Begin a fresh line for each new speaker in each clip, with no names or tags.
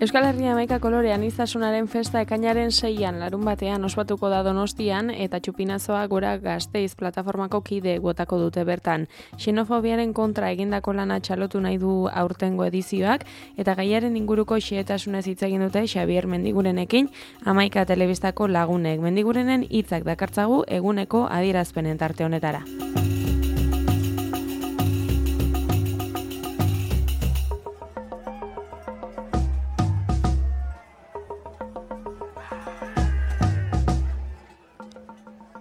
Euskal Herria Hamaika kolore aniztasunaren festa ekainaren 6an larunbatean ospatuko da Donostian eta Txupinazoa Gora Gasteiz plataformako kide botako dute bertan. Xenofobiaren kontra egindako lana txalotu nahi du aurtengo edizioak eta gaiaren inguruko xehetasunez hitz egin dute Xabier Mendigurenekin Hamaika telebistako lagunek. Mendigurenen hitzak dakartzagu eguneko adierazpenen tarte honetara.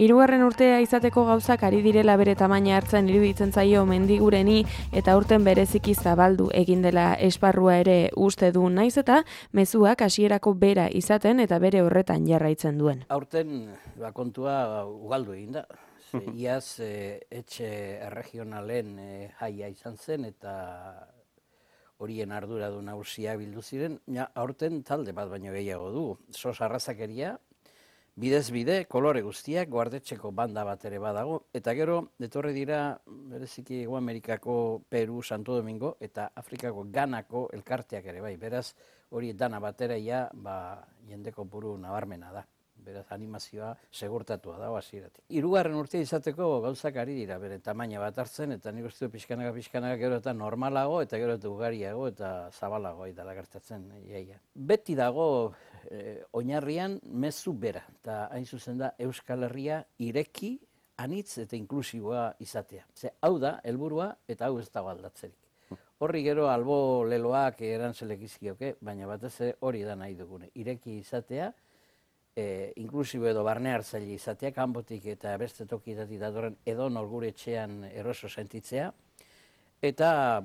Hirugarren urtea izateko gauzak ari direla bere tamaina hartzen iruditzen zaio Mendigureni eta aurten bereziki zabaldu egin dela esparrua ere uste du, naiz eta mezuak hasierako bera izaten eta bere horretan jarraitzen duen.
Aurten kontua ugaldu egin da. Iaz etxe erregionalen jaia izan zen eta horien arduradun nagusia bildu ziren. Aurten talde bat baino gehiago du. Sos arrazakeria, bidez bide, kolore guztiak, guardetxeko banda bat ere badago, eta gero, etorri dira, bereziki Hego Amerikako Peru, Santo Domingo, eta Afrikako Ganako elkarteak ere bai. Beraz, hori dana batera jendeko buru nabarmena da. Beraz, animazioa segurtatua da, hasieratik. Hirugarren urtea izateko gauzak ari dira, bere tamaina bat hartzen, eta nik uste pixkanaka gero eta normalago, eta gero eta ugariago, eta zabalago dela gertatzen iaia. Beti dago oinarrian mezu bera, eta hain zuzen da Euskal Herria ireki, anitz eta inklusiboa izatea. Hau da, helburua, eta hau ez dago aldatzerik. Horri gero albo leloak erantzelek izkioke, baina batez hori da nahi dugune. Ireki izatea, inklusibo edo barne hartzaile izatea, kanpotik eta beste tokietatik datorren edo gure etxean eroso sentitzea, eta,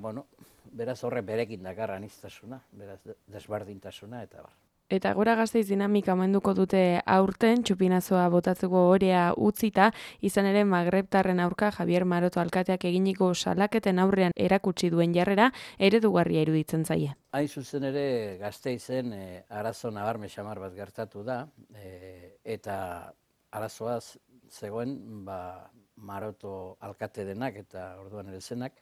beraz horre berekin dakar aniztasuna, beraz desbardintasuna eta bar.
Eta Gora Gasteiz dinamika omenduko dute aurten, Txupinazoa botatzeko orea utzita, izan ere magrebtarren aurka Javier Maroto alkateak eginiko salaketen aurrean erakutsi duen jarrera eredugarria iruditzen zaie.
Hain zuzen ere Gasteizen arazo nabarme xamar bat gertatu da, eta arazoaz zegoen Maroto alkate denak eta orduan ere zenak,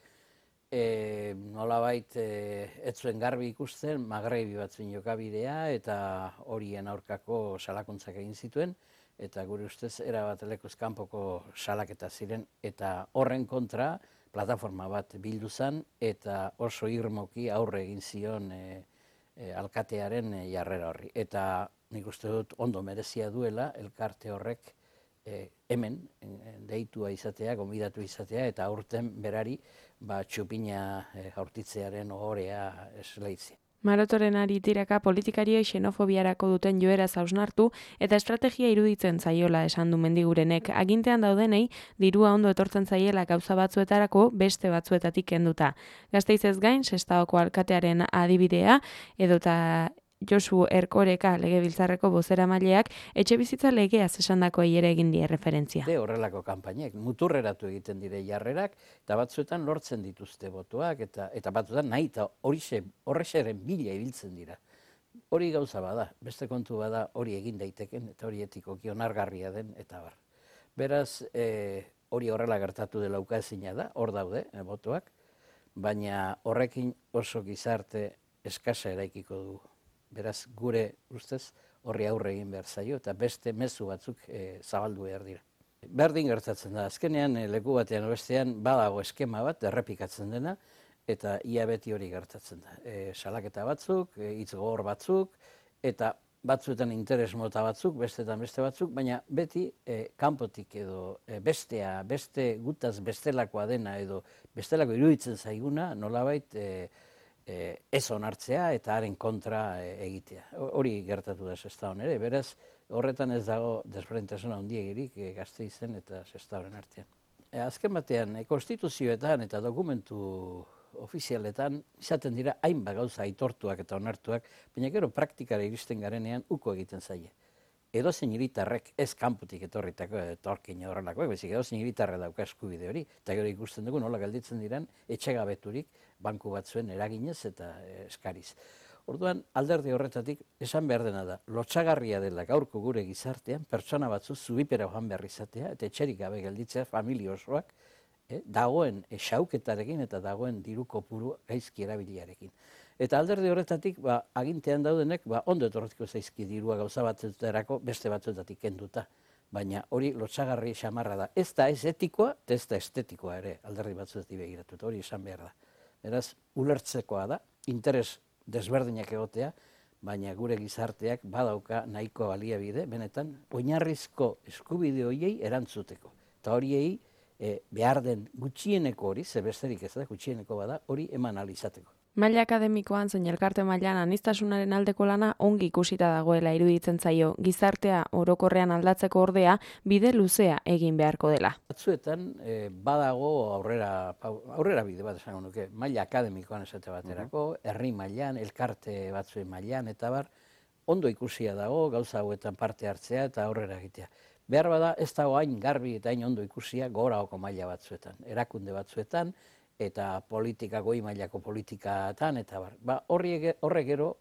nolabait ez zuen garbi ikusten, magrebi batzuen jokabidea eta horien aurkako salakuntzak egin zituen, eta gure ustez erabat lekuz kanpoko salaketa ziren, eta horren kontra plataforma bat bildu zen, eta oso irmoki aurre egin zion alkatearen jarrera horri. Eta nik uste dut ondo merezia duela elkarte horrek hemen deitua izatea, gonbidatu izatea, eta aurten berari Txupina jaurtitzearen ohorea esleitzea.
Marotoren ari tiraka politikariei xenofobiarako duten joera hausnartu eta estrategia iruditzen zaiola esan du Mendigurenek. Agintean daudenei dirua ondo etortzen zaiela gauza batzuetarako beste batzuetatik kenduta. Gasteizez gain, Sestaoko alkatearen adibidea edota Josu Erkoreka legebiltzarreko bozeramaileak etxebizitza legeaz esandakoei ere egin die referentzia.
Horrelako kanpainek muturreratu egiten dire jarrerak eta batzuetan lortzen dituzte botoak eta batzuetan nahi eta horrexeren bila ibiltzen dira. Hori gauza bada, beste kontu bada hori egin daiteken eta hori etikoki onargarria den eta bar. Beraz, hori horrela gertatu dela ukaezina da, hor daude botoak, baina horrekin oso gizarte eskasa eraikiko dugu. Beraz, gure ustez horri aurre egin behar zaio eta beste mezu batzuk zabaldu behar dira. Berdin gertatzen da, azkenean leku batean bestean badago eskema bat errepikatzen dena eta ia beti hori gertatzen da. Salaketa batzuk, hitz gogor batzuk eta batzuetan interes mota batzuk, bestetan beste batzuk, baina beti kanpotik edo beste gutaz bestelakoa dena edo bestelako iruditzen zaiguna nolabait ez onartzea eta haren kontra egitea. Hori gertatu da Sestaon ere, beraz horretan ez dago desberdintasuna handiegirik Gasteizen eta Sestaoren artean. Azken batean, konstituzioetan eta dokumentu ofizialetan izaten dira hainbat gauza aitortuak eta onartuak, baina gero praktikara iristen garenean uko egiten zaie. Edozein hiritarrek ez kanpotik etorritako etorkin horrelakoak, bezik edozein hiritarrek dauka eskubide hori, eta gero ikusten dugu nola gelditzen diren etxegabeturik banku batzuen eraginez eta eskariz. Orduan, alderdi horretatik esan behar dena da, lotsagarria dela gaurko gure gizartean, pertsona batzu zubipera joan behar izatea, eta etxerik gabe gelditzea familia osoak, dagoen xauketarekin eta dagoen diru kopuru gaizki erabiliarekin. Eta alderdi horretatik, agintean daudenek, ondo etorriko zaizki dirua gauza batzuetarako beste batzuetatik kenduta. Baina hori lotsagarri xamarra da. Ez da ez etikoa, ez da estetikoa ere, alderdi batzuetik begiratu, hori esan behar da. Beraz, ulertzekoa da, interes desberdinak egotea, baina gure gizarteak badauka nahiko baliabide, benetan, oinarrizko eskubide horiei erantzuteko. Eta horiei behar den gutxieneko hori, ze besterik ez da, gutxieneko bada, hori eman ahal izateko.
Maila akademikoan zein elkarte mailan aniztasunaren aldeko lana ongi ikusita dagoela iruditzen zaio, gizartea orokorrean aldatzeko ordea bide luzea egin beharko dela.
Batzuetan badago aurrera bide bat esango nuke, maila akademikoan esate baterako, herri mailan, elkarte batzuen mailan, eta ondo ikusia dago gauza hauetan parte hartzea eta aurrera egitea. Behar bada ez dago hain garbi eta hain ondo ikusia goraoko maila batzuetan, erakunde batzuetan, eta goi mailako politikatan, eta horre gero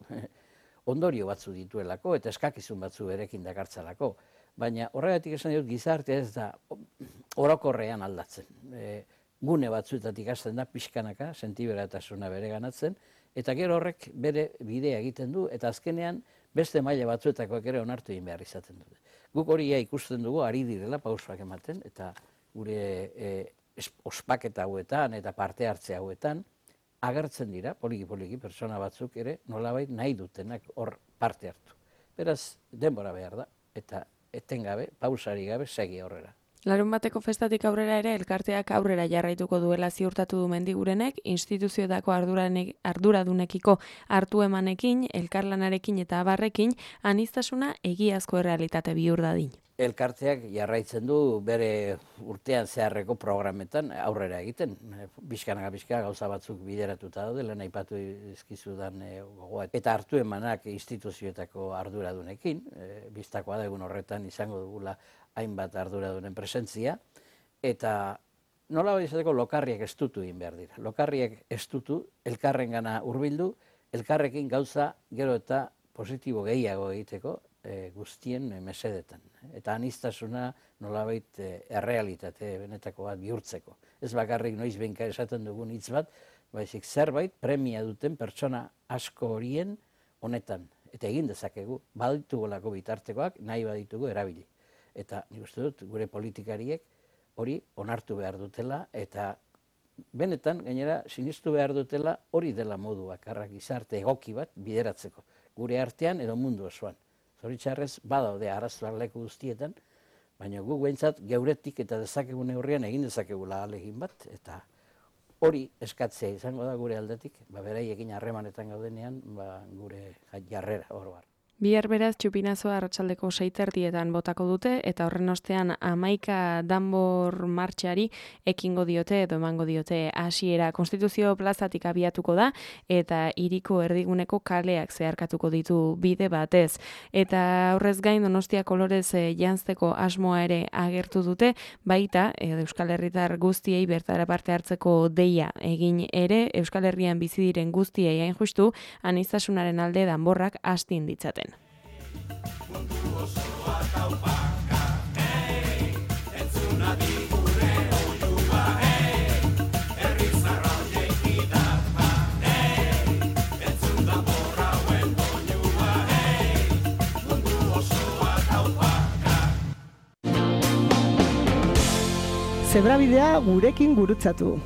ondorio batzu dituelako, eta eskakizun batzu berekin dakartzalako. Baina horregatik esan dut gizartea ez da orokorrean aldatzen. Gune batzuetatik hasten da pixkanaka, sentiberatasuna bere ganatzen, eta gero horrek bere bidea egiten du, eta azkenean beste maila batzuetakoak ere onartu egin behar izaten dute. Guk hori ikusten dugu, ari direla pausoak ematen, eta gure ospaketa hauetan eta parte hartze hauetan agertzen dira, poliki-poliki, pertsona batzuk ere nolabait nahi dutenak hor parte hartu. Beraz, denbora behar da, eta etengabe, pausari gabe, segi aurrera.
Larunbateko festatik aurrera ere elkarteak aurrera jarraituko duela ziurtatu du Mendigurenek, instituzioetako arduradunekiko hartu emanekin, elkarlanarekin eta abarrekin, aniztasuna egiazko errealitate bihur dadin.
Elkarteak jarraitzen du bere urtean zeharreko programetan aurrera egiten. Bizkanaka gauza batzuk bideratuta daude, lehen aipatu dizkizudan gogoa. Eta hartu emanak instituzioetako arduradunekin, biztakoa da egun horretan izango dugula hainbat arduradunen presentzia, eta nola izateko lokarriak estutu egin behar dira. Lokarriak estutu, elkarrengana hurbildu, elkarrekin gauza gero eta positibo gehiago egiteko, guztien mesedetan. Eta aniztasuna nolabait errealitate benetako bat bihurtzeko. Ez bakarrik noiz behinka esaten dugun hitz bat, baizik zerbait premia duten pertsona asko horien honetan. Eta egin dezakegu, baditugolako bitartekoak nahi baditugu erabili. Eta nik uste dut gure politikariek hori onartu behar dutela, eta benetan gainera sinistu behar dutela hori dela modu bakarra gizarte egoki bat bideratzeko. Gure artean edo mundu osoan. Zoritxarrez, badaude arazoak leku guztietan, baina guk behintzat geuretik eta dezakegun neurrian egin dezakegula ahalegin bat, eta hori eskatzea izango da gure aldetik, beraiekin harremanetan gaudenean, gure jarrera hor bar.
Bihar beraz txupinazoa arratsaldeko 6:30 botako dute eta horren ostean 11 danbor martxari ekingo diote edo emango diote hasiera. Konstituzio plazatik abiatuko da eta hiriko erdiguneko kaleak zeharkatuko ditu bide batez. Eta horrez gain Donostia kolorez janzteko asmoa ere agertu dute, baita Euskal Herritar guztiei bertara parte hartzeko deia egin ere Euskal Herrian bizi diren guztiei hain justu aniztasunaren alde danborrak astin ditzaten.
Zebrabidea gurekin gurutzatu.